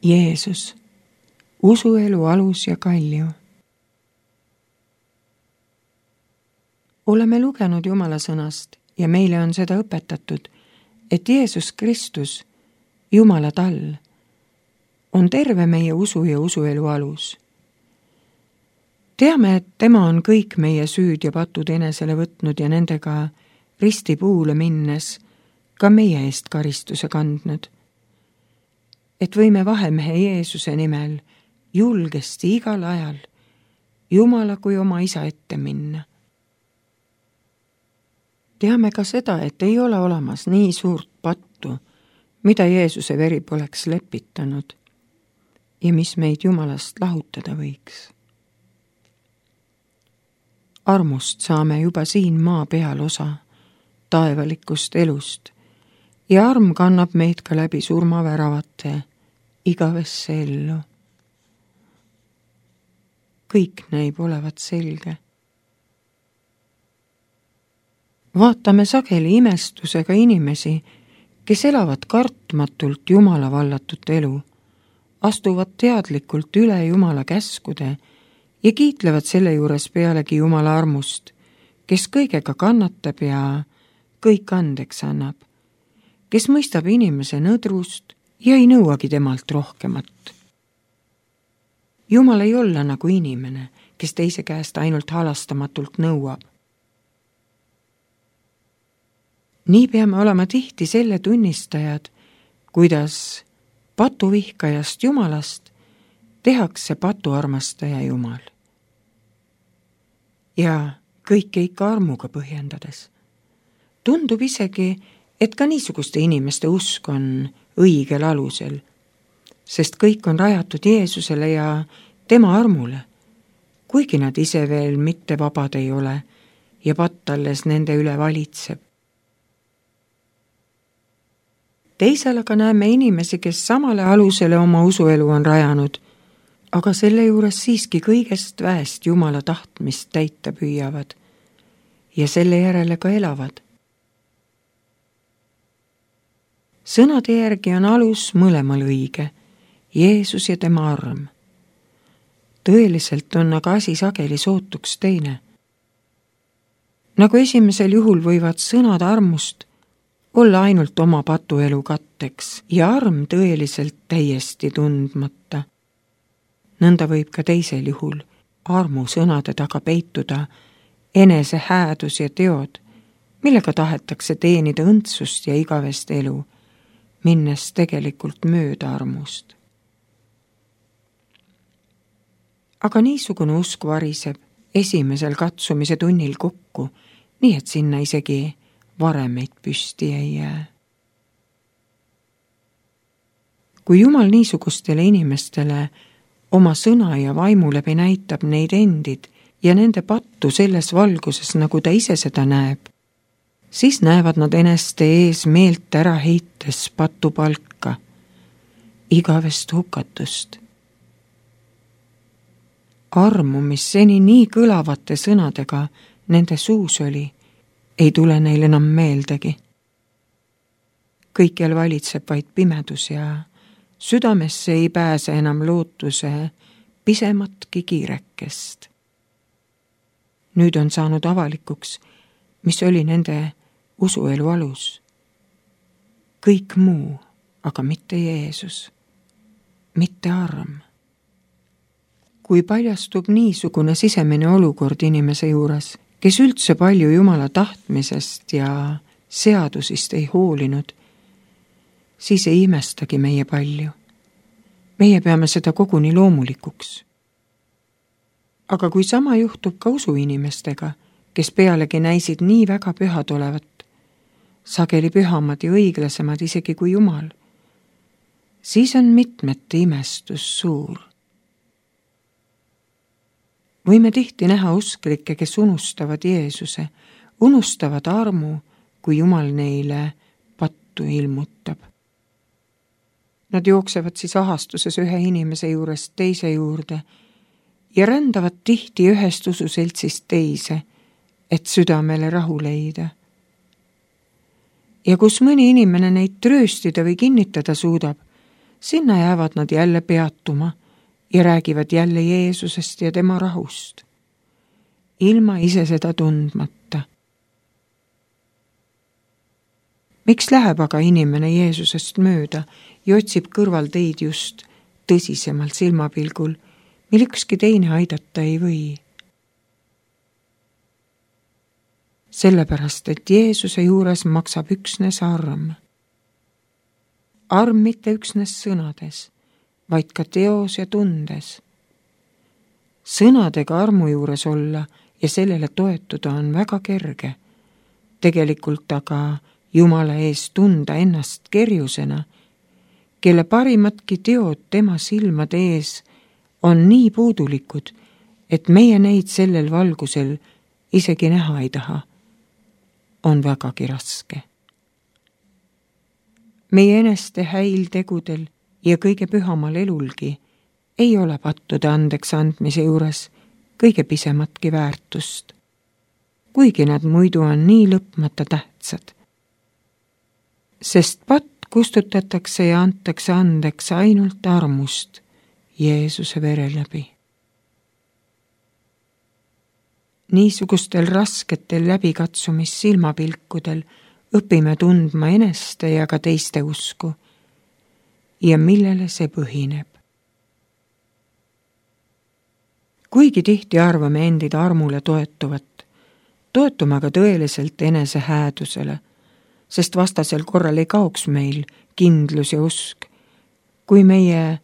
Jeesus, usuelu alus ja kalju. Oleme lugenud Jumala sõnast ja meile on seda õpetatud, et Jeesus Kristus, Jumala tall, on terve meie usu ja usuelu alus. Teame, et tema on kõik meie süüd ja patud enesele võtnud ja nendega ristipuule minnes ka meie eest karistuse kandnud. Et võime vahemehe Jeesuse nimel julgesti igal ajal Jumala kui oma isa ette minna. Teame ka seda, et ei ole olemas nii suurt pattu, mida Jeesuse veri poleks lepitanud ja mis meid Jumalast lahutada võiks. Armust saame juba siin maa peal osa taevalikust elust ja arm kannab meid ka läbi surmaväravate igavesse ellu. Kõik näib olevat selge. Vaatame sageli imestusega inimesi, kes elavad kartmatult Jumala vallatud elu, astuvad teadlikult üle Jumala käskude ja kiitlevad selle juures pealegi Jumala armust, kes kõigega kannatab ja kõik andeks annab, kes mõistab inimese nõdrust ja ei nõuagi temalt rohkemat. Jumal ei olla nagu inimene, kes teise käest ainult halastamatult nõuab. Nii peame olema tihti selle tunnistajad, kuidas patuvihkajast Jumalast tehakse patuarmastaja Jumal. Ja kõike ikka armuga põhjendades. Tundub isegi, et ka niisuguste inimeste usk on õigel alusel, sest kõik on rajatud Jeesusele ja tema armule, kuigi nad ise veel mitte vabad ei ole ja patt alles nende üle valitseb. Teisel aga näeme inimesi, kes samale alusele oma usuelu on rajanud, aga selle juures siiski kõigest väest Jumala tahtmist täita püüavad ja selle järele ka elavad. Sõnade järgi on alus mõlemal õige, Jeesus ja tema arm. Tõeliselt on aga asi sageli sootuks teine. Nagu esimesel juhul võivad sõnad armust olla ainult oma patuelu katteks ja arm tõeliselt täiesti tundmata. Nõnda võib ka teisel juhul armu sõnade taga peituda enese häädus ja teod, millega tahetakse teenida õndsust ja igavest elu, minnes tegelikult mööda armust. Aga niisugune usk variseb esimesel katsumise tunnil kokku, nii et sinna isegi varemeid püsti ei jää. Kui Jumal niisugustele inimestele oma sõna ja vaimu läbi näitab neid endid ja nende pattu selles valguses, nagu ta ise seda näeb, siis näevad nad eneste ees meelt ära heites patupalka, igavest hukatust. Armu, mis seni nii kõlavate sõnadega nende suus oli, ei tule neil enam meeldegi. Kõikjal valitseb vaid pimedus ja südamesse ei pääse enam lootuse pisematki kiirekest. Nüüd on saanud avalikuks, mis oli nende usuelu alus. Kõik muu, aga mitte Jeesus, mitte arm. Kui paljastub niisugune sisemine olukord inimese juures, kes üldse palju Jumala tahtmisest ja seadusist ei hoolinud, siis ei imestagi meie palju. Meie peame seda koguni loomulikuks. Aga kui sama juhtub ka usuinimestega, kes pealegi näisid nii väga pühad olevat, sageli pühamad ja õiglasemad isegi kui Jumal, siis on mitmete imestus suur. Võime tihti näha usklikke, kes unustavad Jeesuse, unustavad armu, kui Jumal neile pattu ilmutab. Nad jooksevad siis ahastuses ühe inimese juurest teise juurde ja rändavad tihti ühest ususeltsist teise, et südamele rahu leida. Ja kus mõni inimene neid trööstida või kinnitada suudab, sinna jäävad nad jälle peatuma ja räägivad jälle Jeesusest ja tema rahust, ilma ise seda tundmata. Miks läheb aga inimene Jeesusest mööda ja otsib kõrval teid just tõsisemalt silmapilgul, mil ükski teine aidata ei või? Sellepärast, et Jeesuse juures maksab üksnes arm. Arm mitte üksnes sõnades, vaid ka teos ja tundes. Sõnadega armu juures olla ja sellele toetuda on väga kerge. Tegelikult aga Jumala ees tunda ennast kerjusena, kelle parimatki teod tema silmade ees on nii puudulikud, et meie neid sellel valgusel isegi näha ei taha, on vägagi raske. Meie eneste häiltegudel ja kõige pühamal elulgi ei ole pattude andeks andmise juures kõige pisematki väärtust, kuigi nad muidu on nii lõpmata tähtsad. Sest patt kustutatakse ja antakse andeks ainult armust Jeesuse vere läbi. Niisugustel rasketel läbikatsumissilmapilkudel õpime tundma eneste ja ka teiste usku ja millele see põhineb. Kuigi tihti arvame endid armule toetuvat, toetume aga tõeliselt enese häädusele, sest vastasel korral ei kaoks meil kindlus ja usk, kui meie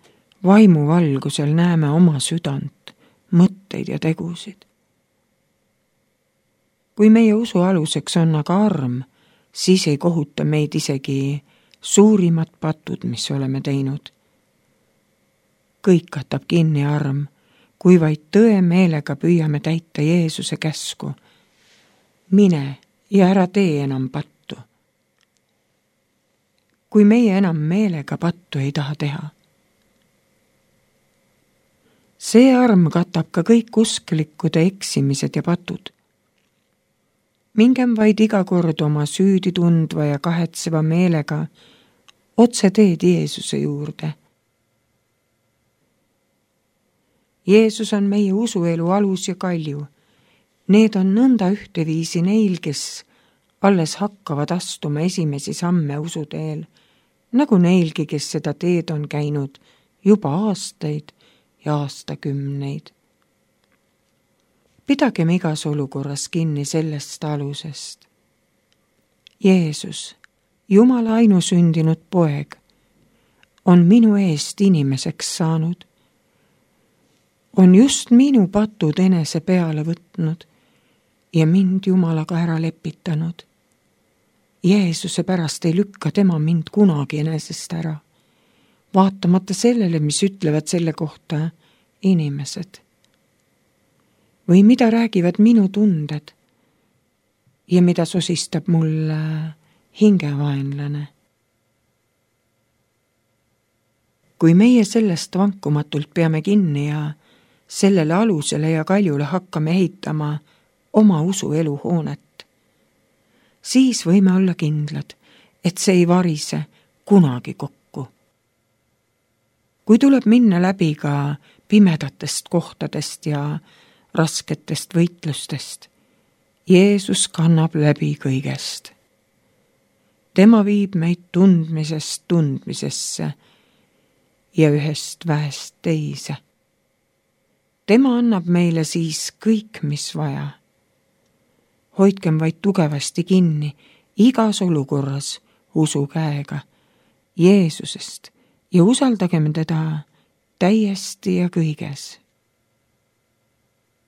vaimuvalgusel näeme oma südant, mõtteid ja tegusid. Kui meie usu aluseks on aga arm, siis ei kohuta meid isegi suurimad patud, mis oleme teinud. Kõik katab kinni arm, kui vaid tõe meelega püüame täita Jeesuse käsku. Mine ja ära tee enam pattu. Kui meie enam meelega pattu ei taha teha. See arm katab ka kõik usklikkude eksimised ja patud. Mingem vaid iga kord oma süüdi tundva ja kahetseva meelega otse teed Jeesuse juurde. Jeesus on meie usuelu alus ja kalju. Need on nõnda ühteviisi neil, kes alles hakkavad astuma esimesi samme usuteel, nagu neilgi, kes seda teed on käinud juba aastaid ja aastakümneid. Pidagem igas olukorras kinni sellest alusest. Jeesus, Jumala ainusündinud poeg, on minu eest inimeseks saanud. On just minu patud enese peale võtnud ja mind Jumalaga ära lepitanud. Jeesuse pärast ei lükka tema mind kunagi enesest ära, vaatamata sellele, mis ütlevad selle kohta inimesed. Või mida räägivad minu tunded ja mida sosistab mulle hingevaenlane. Kui meie sellest vankumatult peame kinni ja sellele alusele ja kaljule hakkame ehitama oma usuelu hoonet, siis võime olla kindlad, et see ei varise kunagi kokku. Kui tuleb minna läbi ka pimedatest kohtadest ja rasketest võitlustest, Jeesus kannab läbi kõigest. Tema viib meid tundmisest tundmisesse ja ühest väest teise. Tema annab meile siis kõik, mis vaja. Hoidkem vaid tugevasti kinni igas olukorras usu käega Jeesusest ja usaldagem teda täiesti ja kõiges.